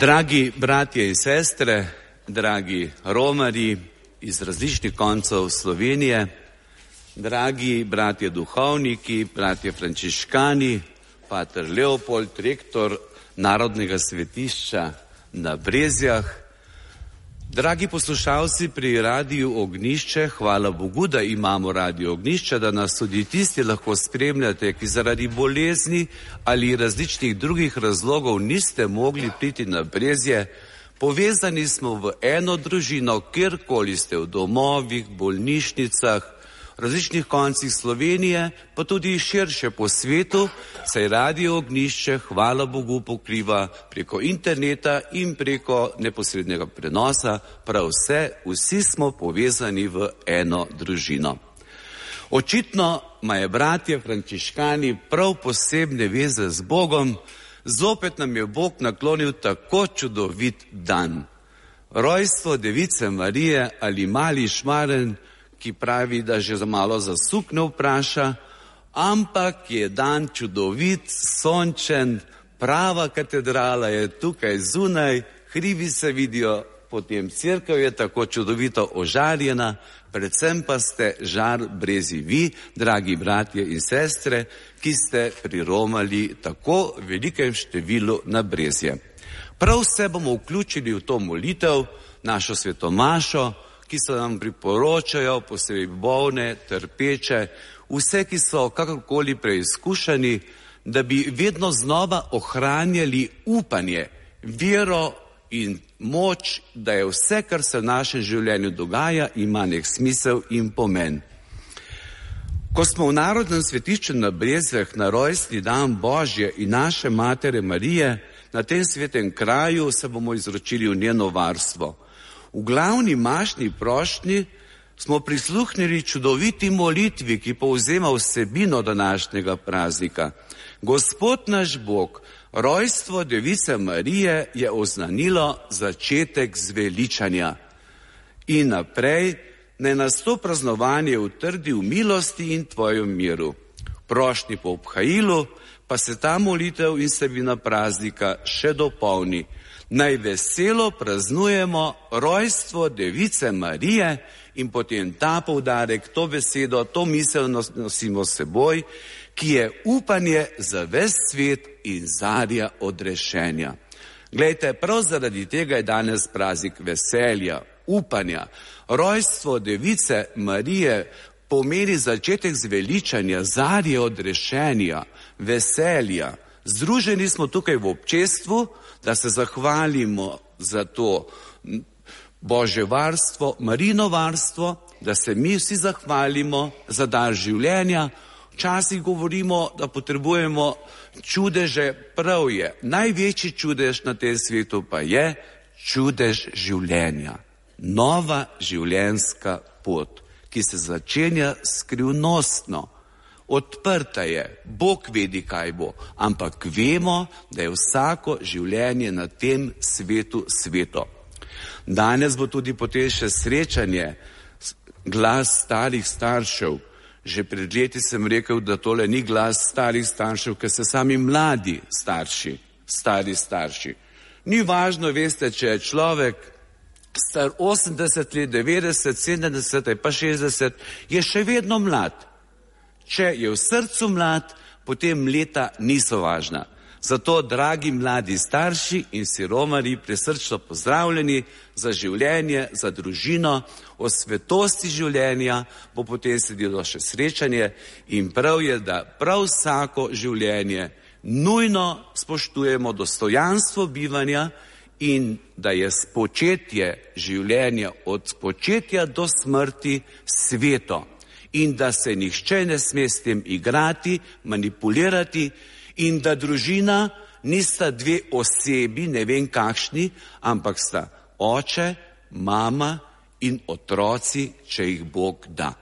Dragi bratje in sestre, dragi romarji iz različnih koncev Slovenije, dragi bratje duhovniki, bratje frančiškani, pater Leopold, rektor Narodnega svetišča na Brezjah, dragi poslušalci pri Radiu Ognjišče, hvala Bogu, da imamo Radio Ognjišče, da nas tudi tisti lahko spremljate, ki zaradi bolezni ali različnih drugih razlogov niste mogli priti na Brezje. Povezani smo v eno družino, kjerkoli ste, v domovih, bolnišnicah, različnih koncih Slovenije, pa tudi širše po svetu, saj Radio Ognjišče, hvala Bogu, pokriva preko interneta in preko neposrednega prenosa prav vsi smo povezani v eno družino. Očitno imajo bratje frančiškani prav posebne veze z Bogom, zopet nam je Bog naklonil tako čudovit dan. Rojstvo Device Marije ali mali šmaren, ki pravi, da že za malo zasuk ne vpraša, ampak je dan čudovit, sončen, prava katedrala je tukaj zunaj, hribi se vidijo, potem cerkev je tako čudovito ožarjena, predvsem pa ste žar Brezji vi, dragi bratje in sestre, ki ste priromali tako velikem številu na Brezje. Prav vse bomo vključili v to molitev, našo svetomašo, ki se nam priporočajo, posebej bolne, trpeče, vse, ki so kakorkoli preizkušani, da bi vedno znova ohranjali upanje, vero in moč, da je vse, kar se v našem življenju dogaja, ima nek smisel in pomen. Ko smo v Narodnem svetišču na Brezjah na rojstni dan Božje in naše Matere Marije, na tem svetem kraju se bomo izročili v njeno varstvo. V glavni mašni prošnji smo prisluhnili čudoviti molitvi, ki povzema vsebino današnjega praznika. Gospod naš Bog, rojstvo Device Marije je oznanilo začetek zveličanja. In naprej, naj nas to praznovanje utrdi v milosti in tvojem miru. Prošnji po obhajilu pa se ta molitev in vsebina praznika še dopolni. Naj veselo praznujemo rojstvo Device Marije in potem ta poudarek, to besedo, to misel nosimo s seboj, ki je upanje za ves svet in zarja odrešenja. Glejte, prav zaradi tega je danes praznik veselja, upanja. Rojstvo Device Marije pomeni začetek zveličanja, zarje odrešenja, veselja. Združeni smo tukaj v občestvu, da se zahvalimo za to Božje varstvo, Marino varstvo, da se mi vsi zahvalimo za dar življenja. Včasih govorimo, da potrebujemo čudeže, prav je. Največji čudež na tem svetu pa je čudež življenja. Nova življenjska pot, ki se začenja skrivnostno. Odprta je, Bog vedi, kaj bo, ampak vemo, da je vsako življenje na tem svetu sveto. Danes bo tudi potem še srečanje, glas starih staršev. Že pred leti sem rekel, da tole ni glas starih staršev, ker se sami mladi starši, stari starši. Ni važno, veste, če je človek star 80 let, 90, 70, pa 60, je še vedno mlad. Če je v srcu mlad, potem leta niso važna. Zato, dragi mladi starši in vsi romarji, presrčno pozdravljeni za življenje, za družino, o svetosti življenja bo potem sledilo še srečanje in prav je, da prav vsako življenje nujno spoštujemo dostojanstvo bivanja in da je spočetje življenja od spočetja do smrti sveto. In da se nihče ne sme s tem igrati, manipulirati in da družina nista dve osebi, ne vem kakšni, ampak sta oče, mama in otroci, če jih Bog da.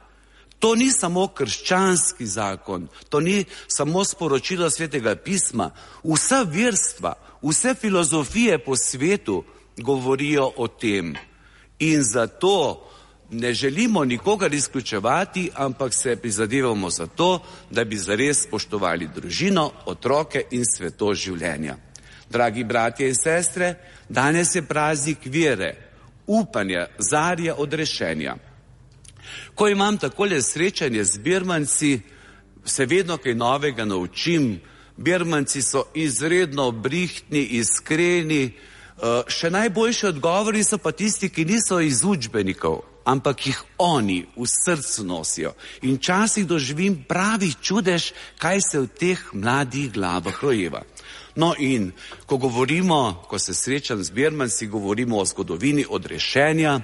To ni samo krščanski zakon, to ni samo sporočilo Svetega pisma. Vsa verstva, vse filozofije po svetu govorijo o tem. In zato ne želimo nikogar izključevati, ampak se prizadevamo za to, da bi zares spoštovali družino, otroke in svetost življenja. Dragi bratje in sestre, danes je praznik vere, upanja, zarja odrešenja. Ko imam takole srečanje z birmanci, se vedno kaj novega naučim. Birmanci so izredno brihtni, iskreni. Še najboljši odgovori so pa tisti, ki niso iz učbenikov, ampak jih oni v srcu nosijo. In včasih doživim pravih čudež, kaj se v teh mladih glavah rojeva. No in ko se srečam z birmanci, govorimo o zgodovini odrešenja,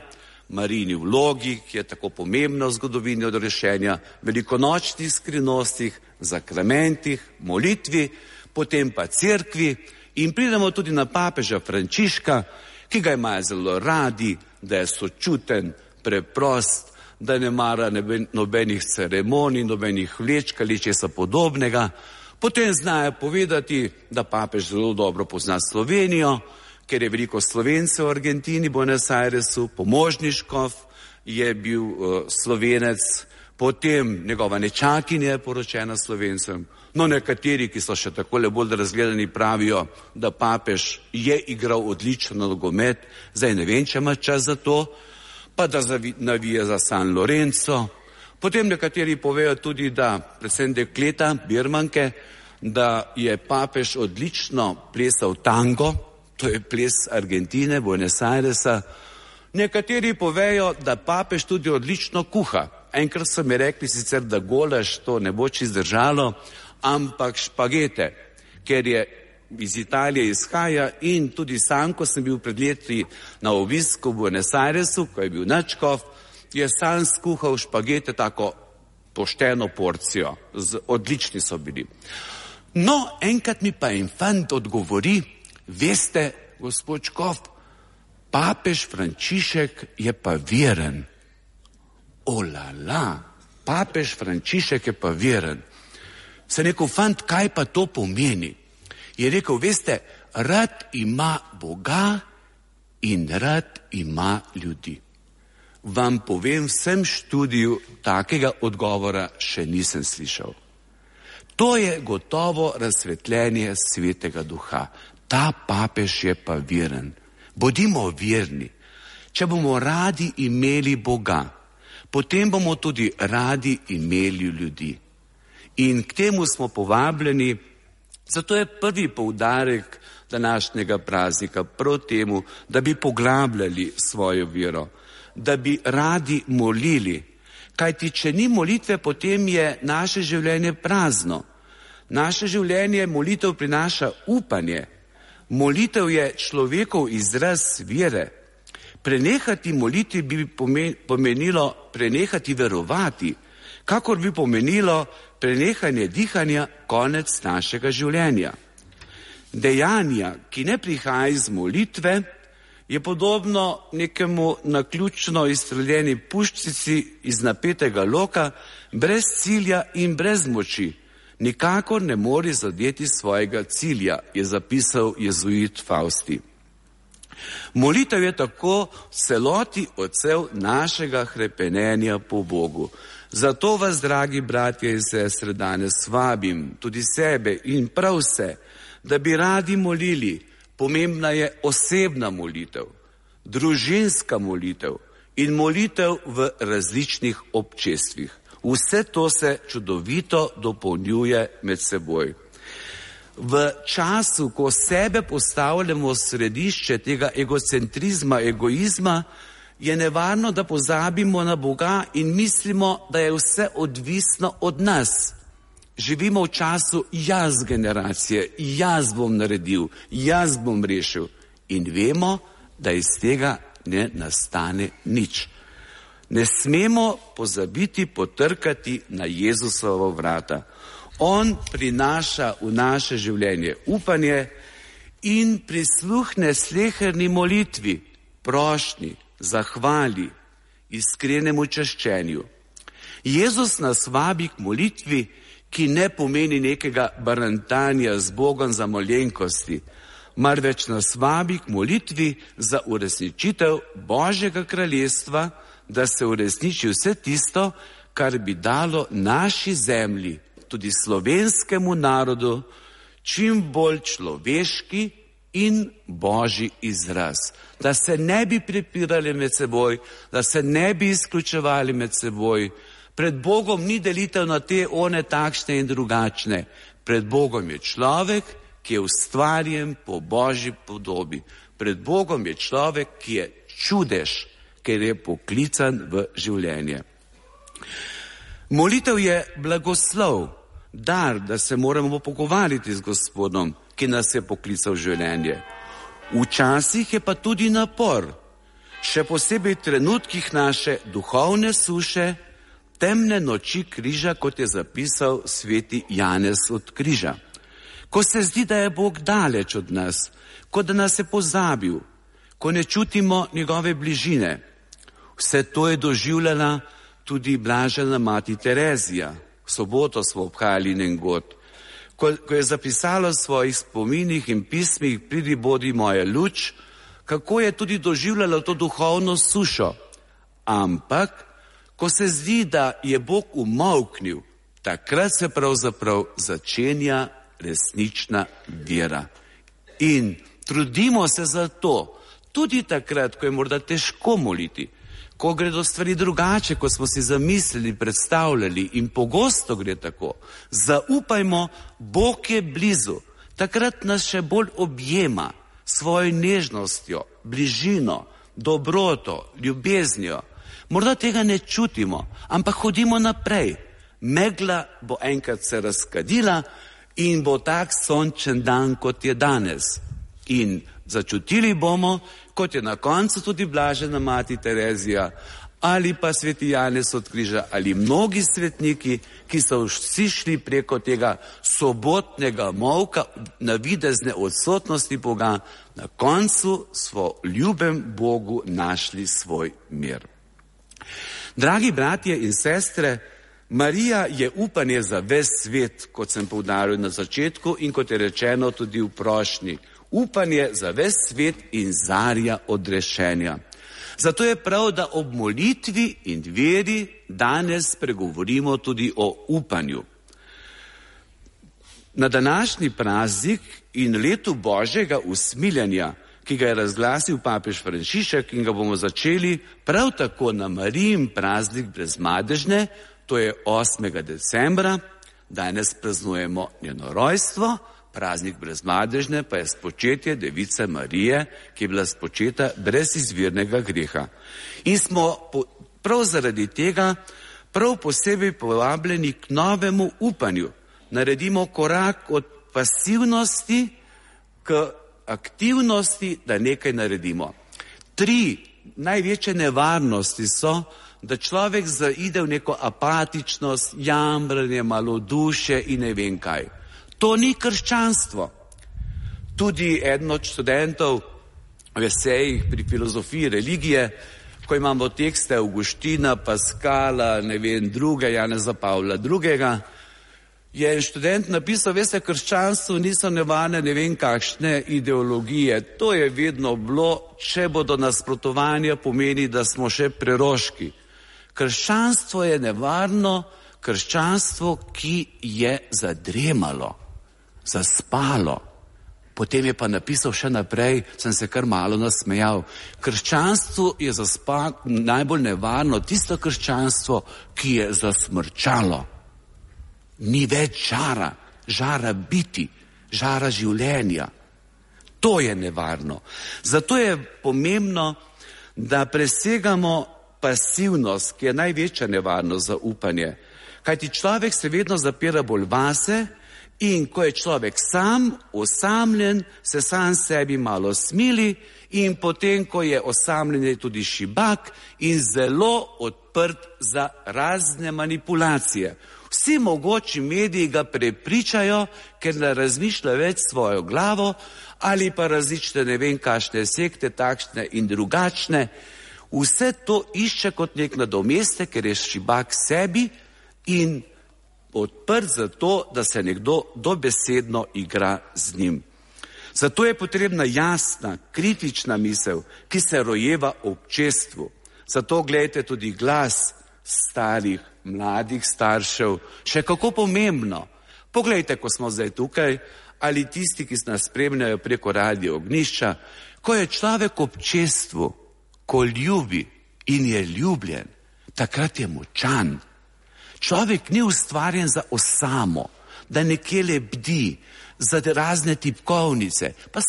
Marijini vlogi, ki je tako pomembna v zgodovini odrešenja, velikonočnih skrivnostih, zakramentih, molitvi, potem pa cerkvi in pridemo tudi na papeža Frančiška, ki ga imajo zelo radi, da je sočuten, preprost, da ne mara nobenih ceremonij, nobenih vlečk ali česa podobnega. Potem znajo povedati, da papež zelo dobro pozna Slovenijo, ker je veliko Slovencev v Argentini, Buenos Airesu, pomožniškov je bil Slovenec, potem njegova nečakinja je poročena Slovencem. No, nekateri, ki so še takole bolj razgledani, pravijo, da papež je igral odličen nogomet, zdaj ne vem, če ima čas za to, pa da navija za San Lorenzo. Potem nekateri povejo tudi, da, predvsem dekleta, birmanke, da je papež odlično plesal tango, to je ples Argentine, Buenos Airesa. Nekateri povejo, da papež tudi odlično kuha. Enkrat so mi rekli sicer, da golaž to ne bo čist zdržalo, ampak špagete, ker je iz Italije izhaja in tudi sam, ko sem bil pred leti na obisku v Buenos Airesu, ko je bil nadškof, je sam skuhal špagete tako pošteno porcijo, odlični so bili. No, enkrat mi pa en fant odgovori, veste, gospod škof, papež Frančišek je pa veren. Olala, papež Frančišek je pa veren. Sem rekel, fant, kaj pa to pomeni? Je rekel, veste, rad ima Boga in rad ima ljudi. Vam povem, vsem študiju takega odgovora še nisem slišal. To je gotovo razsvetljenje Svetega Duha. Ta papež je pa veren. Bodimo verni. Če bomo radi imeli Boga, potem bomo tudi radi imeli ljudi. In k temu smo povabljeni, zato je prvi poudarek današnjega praznika prav temu, da bi poglabljali svojo vero, da bi radi molili. Kajti, če ni molitve, potem je naše življenje prazno. Naše življenje molitev prinaša upanje. Molitev je človekov izraz vere. Prenehati moliti bi pomenilo prenehati verovati, kakor bi pomenilo prenehanje dihanja, konec našega življenja. Dejanja, ki ne prihaja iz molitve, je podobno nekemu naključno izstreljeni puščici iz napetega loka, brez cilja in brez moči. Nikakor ne more zadeti svojega cilja, je zapisal jezuit Fausti. Molitev je tako v celoti odsev našega hrepenenja po Bogu. Zato vas, dragi bratje in sestre, danes vabim, tudi sebe in prav vse, da bi radi molili. Pomembna je osebna molitev, družinska molitev in molitev v različnih občestvih. Vse to se čudovito dopolnjuje med seboj. V času, ko sebe postavljamo v središče tega egocentrizma, egoizma, je nevarno, da pozabimo na Boga in mislimo, da je vse odvisno od nas. Živimo v času jaz generacije, jaz bom naredil, jaz bom rešil. In vemo, da iz tega ne nastane nič. Ne smemo pozabiti potrkati na Jezusovo vrata. On prinaša v naše življenje upanje in prisluhne sleherni molitvi, prošnji, zahvali, iskrenemu čaščenju. Jezus nas vabi k molitvi, ki ne pomeni nekega barantanja z Bogom za malenkosti, marveč nas vabi k molitvi za uresničitev Božjega kraljestva, da se uresniči vse tisto, kar bi dalo naši zemlji, tudi slovenskemu narodu, čim bolj človeški in božji izraz. Da se ne bi prepirali med seboj, da se ne bi izključevali med seboj. Pred Bogom ni delitev na te, one, takšne in drugačne. Pred Bogom je človek, ki je ustvarjen po božji podobi. Pred Bogom je človek, ki je čudež, ker je poklican v življenje. Molitev je blagoslov, dar, da se moramo pogovarjati z Gospodom, ki nas je poklical v življenje. Včasih je pa tudi napor, še posebej v trenutkih naše duhovne suše, temne noči križa, kot je zapisal sveti Janez od križa. Ko se zdi, da je Bog daleč od nas, kot da nas je pozabil, ko ne čutimo njegove bližine. Vse to je doživljala tudi blažena mati Terezija. V soboto smo obhajali njen god. Ko je zapisala v svojih spominih in pismih Pridi, bodi moja luč, kako je tudi doživljala to duhovno sušo. Ampak, ko se zdi, da je Bog umolknil, takrat se pravzaprav začenja resnična vera. In trudimo se za to, tudi takrat, ko je morda težko moliti, ko gredo stvari drugače, kot smo si zamislili, predstavljali, in pogosto gre tako. Zaupajmo, Bog je blizu. Takrat nas še bolj objema svojo nežnostjo, bližino, dobroto, ljubeznijo. Morda tega ne čutimo, ampak hodimo naprej. Megla bo enkrat se razkadila in bo tak sončen dan, kot je danes. In začutili bomo, kot je na koncu tudi blažena mati Terezija ali pa sveti Janez od križa ali mnogi svetniki, ki so vsi šli preko tega sobotnega molka, navidezne odsotnosti Boga, na koncu so ljubem Bogu našli svoj mir. Dragi bratje in sestre, Marija je upanje za ves svet, kot sem poudaril na začetku in kot je rečeno tudi v prošnji. Upanje za ves svet in zarja odrešenja. Zato je prav, da ob molitvi in veri danes pregovorimo tudi o upanju. Na današnji praznik in letu Božjega usmiljenja, ki ga je razglasil papež Frančišek in ga bomo začeli prav tako na Marijin praznik brezmadežne, to je 8. decembra, danes praznujemo njeno rojstvo, praznik brezmadežne pa je spočetje Device Marije, ki je bila spočeta brez izvirnega greha. In smo prav zaradi tega prav posebej povabljeni k novemu upanju. Naredimo korak od pasivnosti k aktivnosti, da nekaj naredimo. 3 največje nevarnosti so, da človek zaide v neko apatičnost, jamranje, malodušje in ne vem kaj. To ni krščanstvo. Tudi eden od študentov v esejih pri filozofiji religije, ko imamo tekste Avguština, Paskala, ne vem, druge, Janeza Pavla II., je en študent napisal, veste, krščanstvo niso nevarne ne vem kakšne ideologije. To je vedno bilo, če bodo nasprotovanja, pomeni, da smo še preroški. Krščanstvo je nevarno, krščanstvo, ki je zadremalo, zaspalo. Potem je pa napisal še naprej, sem se kar malo nasmejal. Krščanstvo je najbolj nevarno, tisto krščanstvo, ki je zasmrčalo. Ni več žara, žara biti, žara življenja. To je nevarno. Zato je pomembno, da presegamo pasivnost, ki je največja nevarnost za upanje. Kajti človek se vedno zapira bolj vase in ko je človek sam, osamljen, se sam sebi malo smili in potem, ko je osamljen, je tudi šibak in zelo odprt za razne manipulacije. Vsi mogoči mediji ga prepričajo, ker ne razmišlja več svojo glavo ali pa različne ne vem kakšne sekte, takšne in drugačne. Vse to išče kot nek nadomestek, ker je šibak sebi in odprt za to, da se nekdo dobesedno igra z njim. Zato je potrebna jasna, kritična misel, ki se rojeva v občestvu. Zato gledajte tudi glas starih, mladih staršev, še kako pomembno. Poglejte, ko smo zdaj tukaj, ali tisti, ki nas spremljajo preko Radio Ognjišča, ko je človek v občestvu, ko ljubi in je ljubljen, takrat je močan. Človek ni ustvarjen za osamo, da nekje lebdi, za razne tipkovnice, pa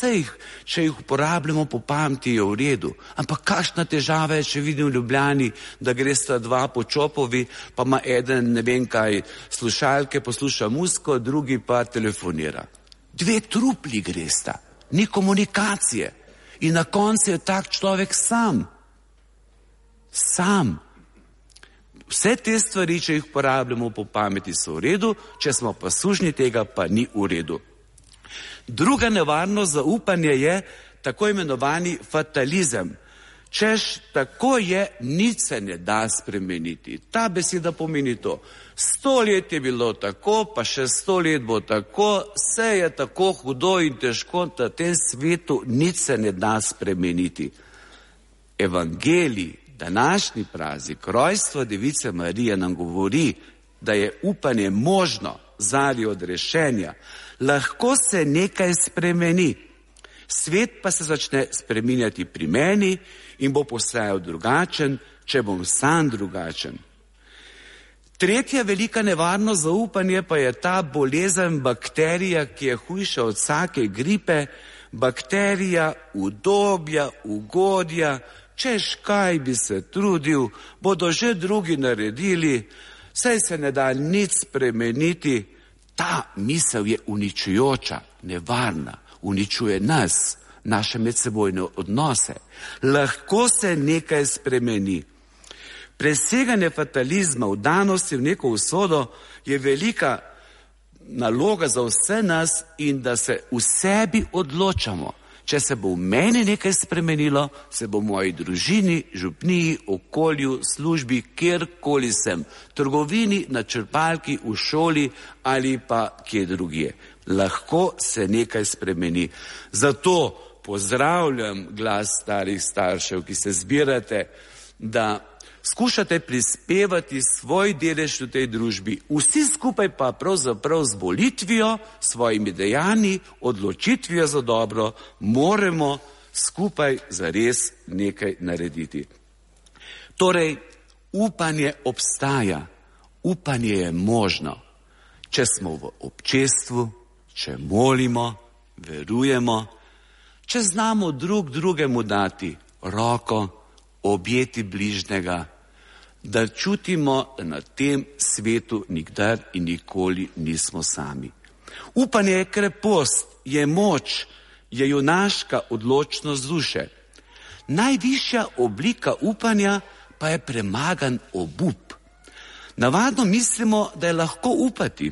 če jih uporabljamo po pameti, je v redu. Ampak kakšna težava je, če vidim v Ljubljani, da gresta dva po Čopovi, pa ima eden, ne vem kaj, slušalke, posluša muziko, drugi pa telefonira. Dve trupli gresta, ni komunikacije. In na koncu je tak človek sam. Vse te stvari, če jih uporabljamo po pameti, so v redu, če smo pa sužnji tega, pa ni v redu. Druga nevarnost za upanje je tako imenovani fatalizem. Češ, tako je, nič se ne da spremeniti. Ta beseda pomeni to. 100 let je bilo tako, pa še 100 let bo tako, vse je tako hudo in težko, da v tem svetu nič se ne da spremeniti. Evangelij, današnji praznik, rojstvo Device Marije nam govori, da je upanje možno zali odrešenja. Lahko se nekaj spremeni. Svet pa se začne spreminjati pri meni in bo postajal drugačen, če bom sam drugačen. Tretja velika nevarnost za upanje pa je ta bolezen bakterija, ki je hujša od vsake gripe, bakterija udobja, ugodja, češ kaj bi se trudil, bodo že drugi naredili, saj se ne da nič spremeniti. Ta misel je uničujoča, nevarna, uničuje nas, naše medsebojne odnose. Lahko se nekaj spremeni. Preseganje fatalizma, vdanosti v neko usodo je velika naloga za vse nas in da se v sebi odločamo. Če se bo v meni nekaj spremenilo, se bo v moji družini, župniji, okolju, službi, kjerkoli sem, trgovini, na črpalki, v šoli ali pa kje drugje. Lahko se nekaj spremeni. Zato pozdravljam glas starih staršev, ki se zbirate, da skušate prispevati svoj delež v tej družbi, vsi skupaj pa pravzaprav z molitvijo, svojimi dejanji, odločitvijo za dobro, moramo skupaj zares nekaj narediti. Torej, upanje obstaja, upanje je možno, če smo v občestvu, če molimo, verujemo, če znamo drug drugemu dati roko, objeti bližnjega, da čutimo, da na tem svetu nikdar in nikoli nismo sami. Upanje je krepost, je moč, je junaška odločnost duše. Najvišja oblika upanja pa je premagan obup. Navadno mislimo, da je lahko upati,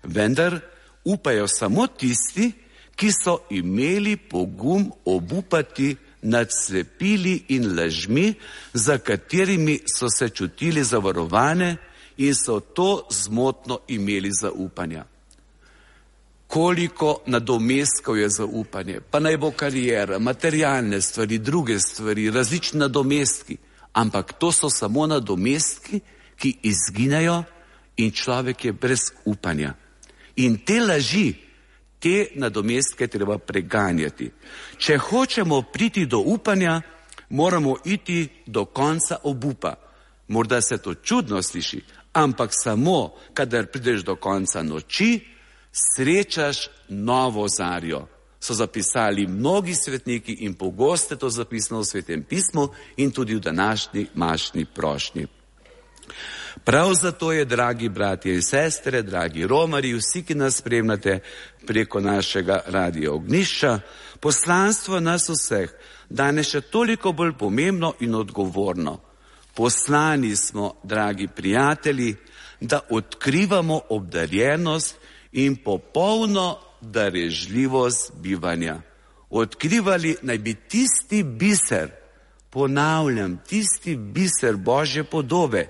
vendar upajo samo tisti, ki so imeli pogum obupati nad slepili in lažmi, za katerimi so se čutili zavarovane in so to zmotno imeli zaupanja. Koliko nadomestkov je zaupanje, pa naj bo kariera, materialne stvari, druge stvari, različni nadomestki, ampak to so samo nadomestki, ki izginejo in človek je brez upanja. In te laži, te nadomestke treba preganjati. Če hočemo priti do upanja, moramo iti do konca obupa. Morda se to čudno sliši, ampak samo, kadar prideš do konca noči, srečaš novo zarjo. So zapisali mnogi svetniki in pogosto to zapisano v Svetem pismu in tudi v današnji mašni prošnji. Prav zato je, dragi bratje in sestre, dragi romarji, vsi, ki nas spremljate preko našega Radia Ognjišča, poslanstvo nas vseh danes še toliko bolj pomembno in odgovorno. Poslani smo, dragi prijatelji, da odkrivamo obdarjenost in popolno darežljivost bivanja. Odkrivali naj bi tisti biser, ponavljam, tisti biser Božje podobe,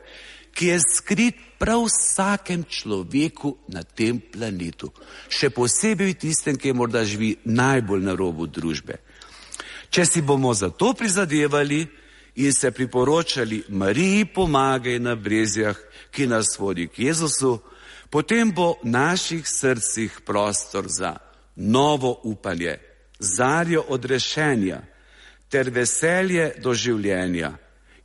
ki je skrit prav vsakem človeku na tem planetu. Še posebej tistem, ki morda živi najbolj na robu družbe. Če si bomo za to prizadevali in se priporočali Mariji pomagaj na brezjah, ki nas vodi k Jezusu, potem bo v naših srcih prostor za novo upanje, zarjo odrešenja ter veselje do življenja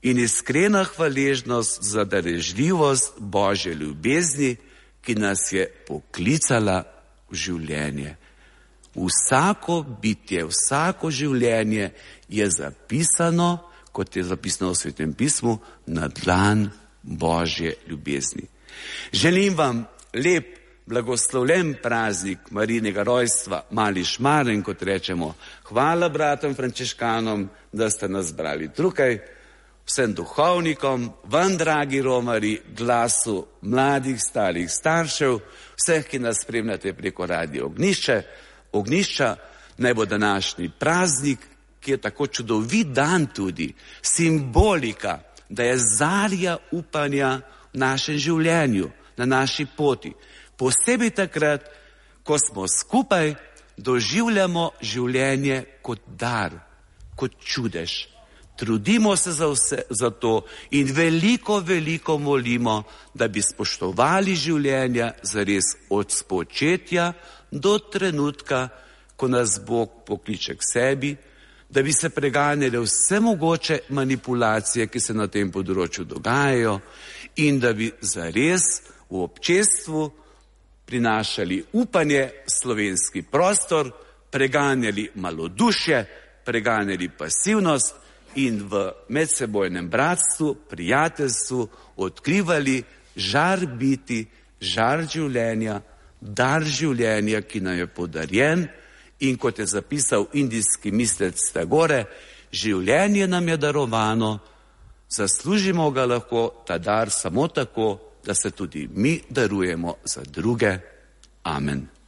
in iskrena hvaležnost za darežljivost Božje ljubezni, ki nas je poklicala v življenje. Vsako bitje, vsako življenje je zapisano, kot je zapisano v Svetem pismu, na dlan Božje ljubezni. Želim vam lep, blagoslovljen praznik Marijinega rojstva, mali šmaren, kot rečemo. Hvala bratom frančiškanom, da ste nas zbrali tukaj, vsem duhovnikom, vam, dragi romarji, glasu mladih, starih staršev, vseh, ki nas spremljate preko Radio Ognjišča, naj bo današnji praznik, ki je tako čudovit dan tudi, simbolika, da je zarja upanja v našem življenju, na naši poti. Posebej takrat, ko smo skupaj, doživljamo življenje kot dar, kot čudež. Trudimo se za to in veliko molimo, da bi spoštovali življenja zares od spočetja do trenutka, ko nas Bog pokliče k sebi, da bi se preganjale vse mogoče manipulacije, ki se na tem področju dogajajo, in da bi zares v občestvu prinašali upanje v slovenski prostor, preganjali malodušje, preganjali pasivnost in v medsebojnem bratstvu, prijateljstvu odkrivali žar biti, žar življenja, dar življenja, ki nam je podarjen. In kot je zapisal indijski mislec Tagore, življenje nam je darovano, zaslužimo ga lahko ta dar samo tako, da se tudi mi darujemo za druge. Amen.